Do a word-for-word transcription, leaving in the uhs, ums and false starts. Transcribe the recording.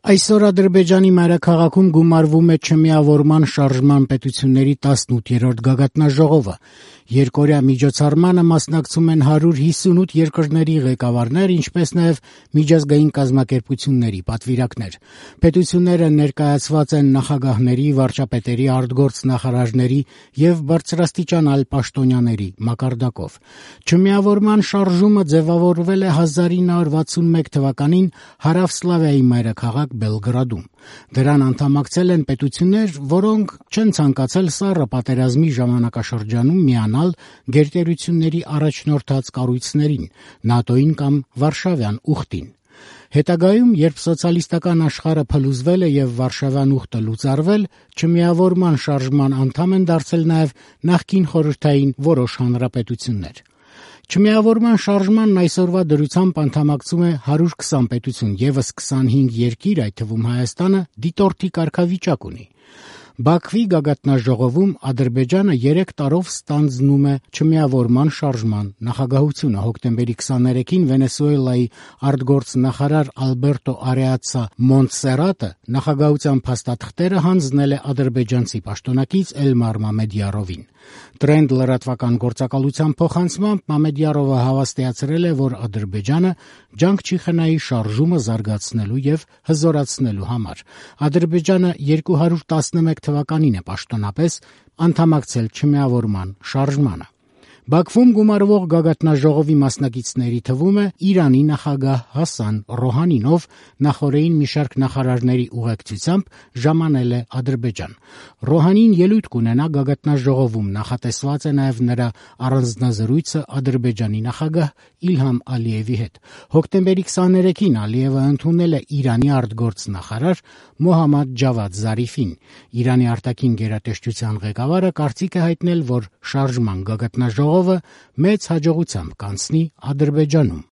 Այսօր Ադրբեջանի մայրաքաղաքում գումարվում է չմիավորման շարժման պետությունների տասնութերորդ գագաթնաժողովը։ Երկօրյա միջոցառմանը մասնակցում են հարյուր հիսունութ երկրների ղեկավարներ, ինչպես նաև միջազգային կազմակերպությունների պատվիրակներ։ Պետությունները ներկայացված են նախագահների, վարչապետերի, արտգործնախարարների և բարձրաստիճան այլ պաշտոնյաների մակարդակով։ Չմիավորման շարժումը ձևավորվել է հազար ինը հարյուր վաթսունմեկ թվականին Հարավսլավիայի մայրաքաղաք Բելգրադում։ Դրան անդամակցել են պետություններ, որոնք չեն ցանկացել սառը պատերազմի ժամանակաշրջանում միանալ գերտերությունների առաջնորդած կառույցներին՝ ՆԱՏՕ-ին կամ Վարշավյան ուխտին։ Հետագայում, երբ սոցիալիստական աշխարհը փլուզվել է և Վարշավյան ուխտը լուծարվել, չմիավորման շարժման անդամ են դարձել նաև նախկին խորհրդային որոշ հանրապետություններ։ Չմիավորման շարժմանն այսօրվա դրությամբ անդամակցում է հարյուր քսան պետություն, ևս քսանհինգ երկիր, այդ թվում Հայաստանը, դիտորդի կարգավիճակ ունի։ Բաքվի գագաթնաժողովում Ադրբեջանը երեք տարով ստանձնում է չմիավորման շարժման նախագահությունը։ Հոկտեմբերի քսաներեքին Վենեսուելայի արտգործնախարար Ալբերտո Արեացա Մոնտսերատը նախագահության փաստաթղթերը հանձնել է ադրբեջանցի պաշտոնակից Էլմար Մամեդյարովին։ Տրենդ լրատվական գործակալության փոխանցմամբ Մամեդյարովը հավաստիացրել է, որ Ադրբեջանը ջանք չի խնայի շարժումը զարգացնելու և հզորացնելու համար։ Ադրբեջանը երկու հարյուր տասնմեկ թվականին է պաշտոնապես անդամակցել չմիավորման շարժմանը։ Բաքվում գումարվող գագաթնաժողովի մասնակիցների թվում է Իրանի նախագահ Հասան Ռոհանին, ով նախօրեին մի շարք նախարարների ուղեկցությամբ ժամանել է Ադրբեջան։ Ռոհանին ելույթ կունենա գագաթնաժողովում, նախատեսված է նաև նրա առանձնազրույցը Ադրբեջանի նախագահ Իլհամ Ալիևի հետ։ Հոկտեմբերի քսաներեքին Ալիևը ընդունել է Իրանի արտգործնախարար Մոհամմադ Ջավադ Զարիֆին։ Իրանի արտաքին գերատեսչության ղեկավարը կարծիք է հայտնել, որ շարժման գագաթնաժողովը մեծ հաջողությամբ կանցնի Ադրբեջանում։